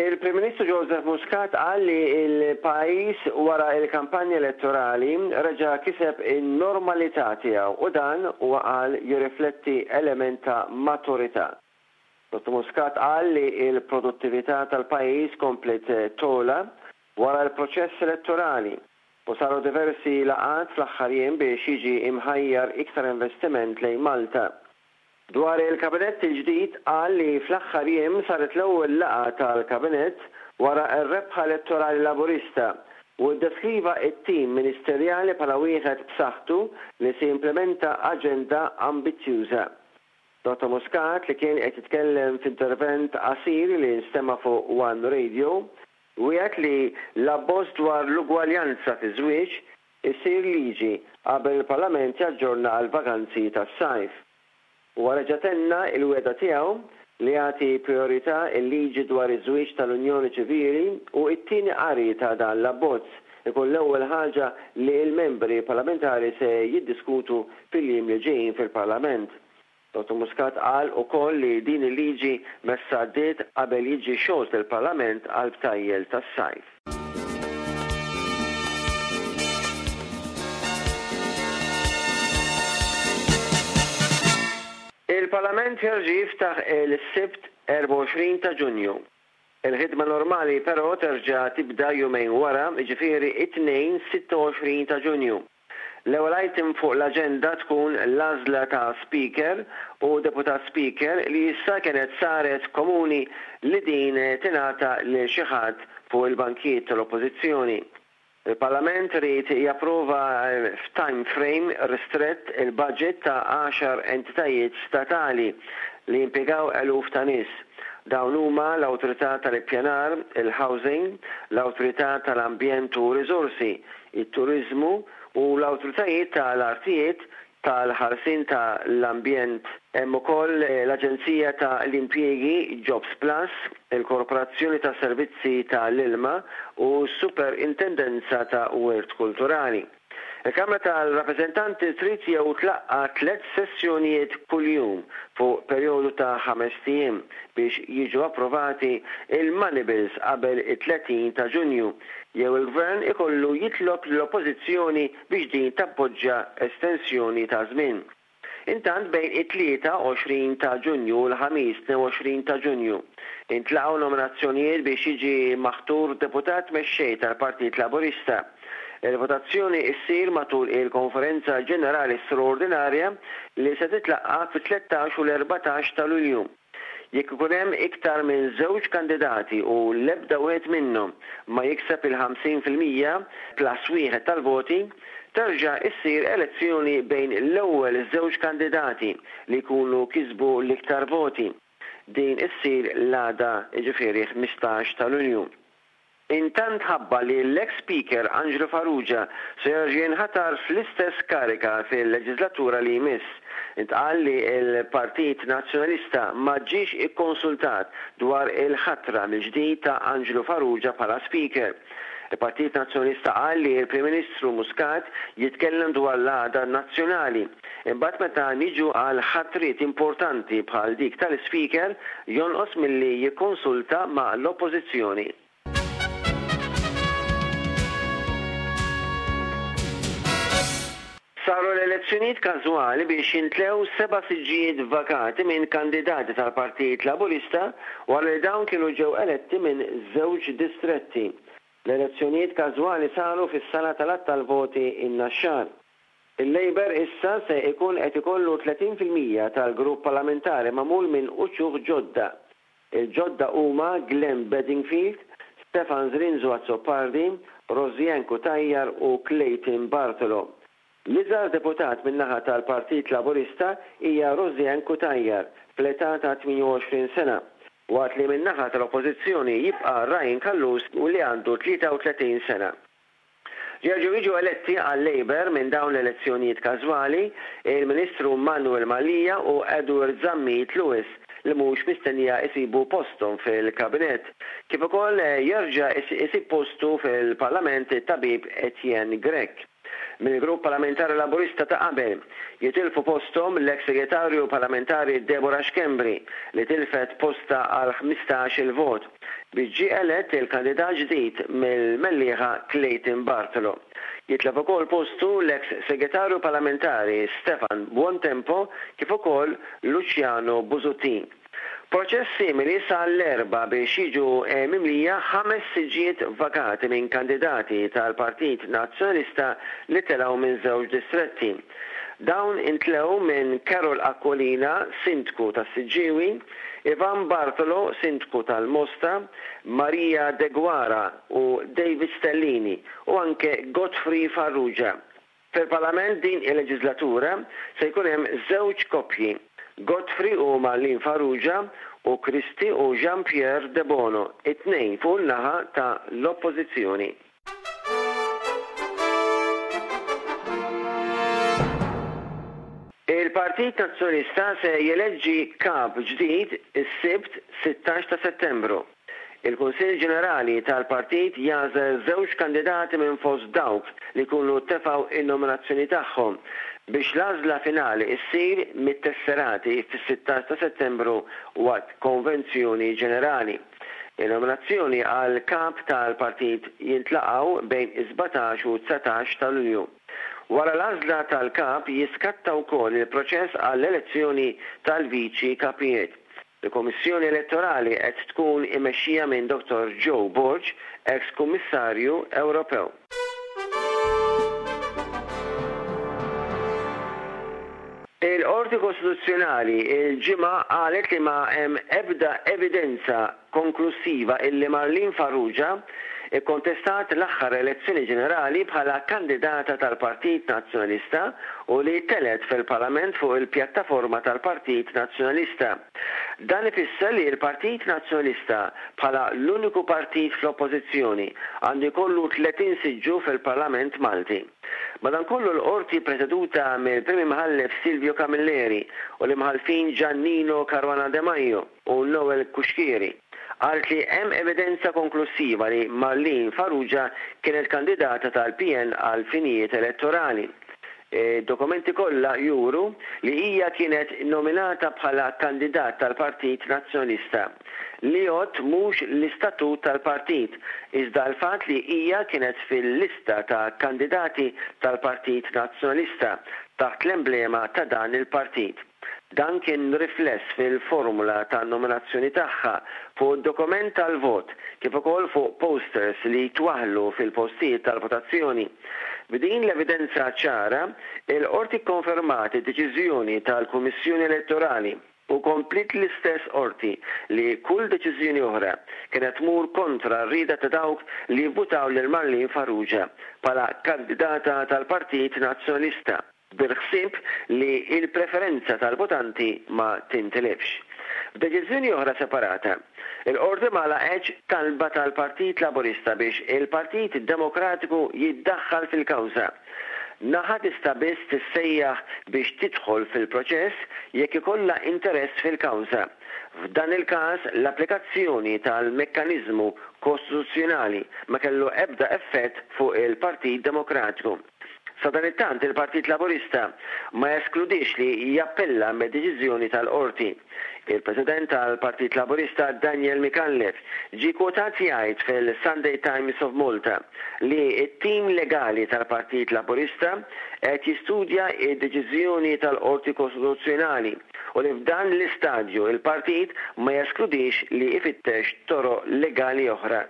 Il-Prim Ministru Joseph Muscat qal li l-pajjiż wara l-kampanja elettorali reġa' kiseb in-normalità tiegħu u dan, huwa qal, jirrifletti element ta' maturità. Dottor Muscat qal li l-produttività tal-pajjiż kompliet togħla wara l-proċess elettorali u saru diversi laqgħat fl-aħħar jiem biex jiġi imħajjar iktar investiment lejn Malta. Dwar il-Kabinett il-ġdid qal li fl-aħħar jiem saret l-ewwel laqgħa tal-Kabinett wara r-rebħa elettorali Laburista u ddeskriva t-tim ministerjali bħala wieħed b'saħħtu li se jimplementa aġenda ambizzjuża. Dottor Muscat, li kien qed jitkellem f'intervent qasir li nstema' fuq One Radio, wiegħed li l-abbozz dwar l-ugwaljanza fiż-żwieġ isir liġi qabel il-Parlament jaġġorna għall-vaganzi tas-sajf. Huwa reġa' tenna l-wiegħda tiegħu li jagħti prijorità l-liġi dwar iż-żwieġ tal-unjoni ċivili u t-tieni qari ta' dan l-abbozz ikun l-ewwel ħaġa li l-membri parlamentari se jiddiskutu fil-jiem li ġejjin fil-Parlament. Dottor Muscat qal ukoll li din il-liġi messha għaddiet qabel jiġi xolt il-Parlament għall-btajjel tas-sajf. Il-Parlament jerġa' jiftaħ il-Sibt 24 ta' Ġunju. Il-ħidma normali però terġa' tibda jumejn wara, jiġifieri t-Tnejn 26 ta' Ġunju. L-ewwel item fuq l-aġenda tkun l-għażla ta' Speaker u Deputat Speaker li issa kienet saret komuni li din tingħata lil xi ħadd fuq il-bankijiet tal-Oppożizzjoni. Il-Parlament ried japprova f'time frame ristrett il-budget ta' għaxar entitajiet statali li jimpjegaw eluf ta' nies. Dawn huma l-Awtorità tal-Ippjanar, il-Housing, l-Awtorità tal-Ambjent u Riżorsi, it-turiżmu u l-awtoritajiet ta' l-artijiet tal-ħarsien ta' l-ambjent. Hemm ukoll l-Aġenzija ta' l-Impjiegi Jobs Plus, il-Korporazzjoni ta' Servizzi ta' l-Ilma u s-Superintendenza ta' Wirt Kulturali. Il-Kamra tal-Rappreżentanti trid jew tlaqqa' tlett sessjonijiet kuljum fuq perjodu ta' ħamest ijiem biex jiġu approvati l-money bills qabel it-30 ta' Ġunju jew il-Gvern ikollu jitlob lill-Oppożizzjoni biex din tappoġġja estensjoni ta' żmien. Intant bejn it-Tlieta 20 ta' Ġunju u l-Ħamis 22 ta' Ġunju, intlaqgħu nominazzjonijiet biex jiġi maħtur Deputat Mexxej tal-Partit Laburista. Il-votazzjoni ssir matul il-Konferenza Ġenerali Straordinarja li se titlaqqa' fit-13 u l-14 ta' Lulju. Jekk ikun hemm iktar minn żewġ kandidati u l-ebda wieħed minnhom ma jikseb il-50% plus wieħed tal-voti, terġa' issir elezzjoni bejn l-ewwel żewġ kandidati li jkunu kisbu l-iktar voti. Din issir l-għada, jiġifieri 15 ta' Lulju. Intant ħabbar li l-eks Speaker Anġlu Farrugia se jerġa' jinħatar fl-istess kariga fil-leġiżlatura li jmiss. Intqal li l-Partit Nazzjonalista ma ġiex ikkonsultat dwar il-ħatra mill-ġdid ta' Anġlu Farrugia bħala Speaker. Il-Partit Nazzjonalista qal li l-Prim Ministru Muscat jitkellem dwar l-għaqda nazzjonali, imbagħad meta niġu għal ħatriet importanti bħal dik tal-Ispeaker jonqos milli jikkonsulta ma' l-Oppożizzjoni. Saru l-elezzjonijiet każwali biex jintlew seba' siġġijiet vakati minn kandidati tal-Partit Laburista wara li dawn kienu ġew eletti minn żewġ distretti. L-elezzjonijiet każwali saru fis-sala tal-għadd tal-voti in-Naxxar. Il-Labour issa se ikun qed ikollu 30% tal-grupp parlamentari magħmul minn uċuħ ġodda. Il-ġodda huma Glenn Bedingfield, Stefan Zrinzo Azzopardi, Rosianne Cutajar u Clayton Bartolo. L-iżgħar deputat min-naħa tal-Partit Laburista hija Rosianne Cutajar fl-età ta' 28 sena, waqt li min-naħa tal-Oppożizzjoni jibqa' Ryan Callus li għandu 33 sena. Jerġgħu jiġu eletti għal-Labour minn dawn l-elezzjonijiet każwali il-Ministru Manuel Mallia u Edward Zammit Lewis li mhux mistennija jsibu posthom fil-Kabinett, kif ukoll jerġa' jsib postu fil-Parlament it-tabib Etienne Grech. Mill-Grupp Parlamentari Laburista ta' qabel, jitilfu posthom l-eks Segretarju Parlamentari Deborah Schembri li tilfet postha għal 15-il vot, biex ġie elett il-kandidat ġdid mill-Mellieħa Clayton Bartolo. Jitlef ukoll postu l-eks Segretarju Parlamentari Stefan Buontempo kif ukoll Luciano Busuttil. Proċess simili sar l-Erbgħa biex jiġu mimlija ħames siġġijiet vakati minn kandidati tal-Partit Nazzjonalista li telgħu minn żewġ distretti. Dawn intlew minn Carol Aquilina, Sindku tas-Siġġiewi, Ivan Bartolo, Sindku tal-Mosta, Maria Deguara u David Stellini u anke Godfrey Farrugia. Fil-Parlament din il-leġiżlatura se jkun hemm żewġ koppji, Godfrey u Marlene Farrugia u Kristy u Jean Pierre Debono, it-tnejn fuq in-naħa ta' l-Oppożizzjoni. Il-Partit Nazzjonalista se jeleġġi Kap ġdid is-Sibt 16 ta' Settembru. Il-Kunsill Ġenerali tal-Partit jagħżel żewġ kandidati minn fost dawk li jkunu tefgħu n-nominazzjoni tagħhom biex l-għażla finali ssir mit-tesserati fis-16 ta' Settembru waqt Konvenzjoni Ġenerali. In-nominazzjoni għal Kap tal-Partit jintlaqgħu bejn is-17 u 19 ta' Lulju. Wara l-għażla tal-Kap jiskatta wkoll il-proċess għall-elezzjoni tal-Viċi Kapijiet. Il-Kummissjoni Elettorali qed tkun imexxija minn Dottor Joe Borg, eks Kummissarju Ewropew. Il-Qorti Kostituzzjonali l-Ġimgħa qalet li ma hemm ebda evidenza konklussiva illi Marlene Farrugia kkontestat l-aħħar elezzjoni ġenerali bħala kandidata tal-Partit Nazzjonalista u li telgħet fil-Parlament fuq il-pjattaforma tal-Partit Nazzjonalista. Dan ifisser li l-Partit Nazzjonalista, bħala l-uniku partit fl-Oppożizzjoni, għandu jkollu 30 siġġu fil-Parlament Malti. Madankollu l-Qorti preseduta mill-Prim Imħallef Silvio Camilleri u l-Imħallfin Giannino Caruana Demajo, u Noel Cuschieri, qalet li hemm evidenza konklussiva li Marlene Farrugia kienet kandidata tal-PN għal finijiet elettorali. Id-dokumenti kollha juru li hija kienet nominata bħala kandidat tal-Partit Nazzjonalista. Li jgħodd mhux l-istatut tal-partit, iżda l-fatt li hija kienet fil-lista ta' kandidati tal-Partit Nazzjonalista taħt l-emblema ta' dan il-partit. Dan kien rifless fil-formula tan-nominazzjoni tagħha, fuq id-dokument tal-vot, kif ukoll fuq posters li twaħħlu fil-postijiet tal-votazzjoni. B'din l-evidenza ċara, il-Qorti kkonfermat id-deċiżjoni tal-Kummissjoni Elettorali u kompliet l-istess Qorti li kull deċiżjoni oħra kienet tmur kontra r-rieda ta' dawk li vvutaw lil Marlene Farrugia bħala kandidata tal-Partit Nazzjonalista. bil-ħsieb li l-preferenza tal-votanti ma tintilifx. F'deċiżjoni oħra separata, il-Qorti ma laqgħetx talba tal-Partit Laburista biex il-Partit Demokratiku jiddaħħal fil-kawża. Naħa tista' biss tissejjaħ biex tidħol fil-proċess jekk ikollha interess fil-kawża. F'dan il-każ, l-applikazzjoni tal-mekkaniżmu kostituzzjonali ma kellu ebda effett fuq il-Partit Demokratiku. Sadanittant, il-Partit Laburista ma jeskludix li jappella mid-deċiżjoni tal-Qorti. Il-President tal-Partit Laburista Daniel Micallef ġie kwotat jgħid fil-Sunday Times of Malta li t-tim legali tal-Partit Laburista qed jistudja d-deċiżjoni tal-Qorti Kostituzzjonali u li f'dan l-istadju l-partit ma jeskludix li jfittex toroq legali oħra.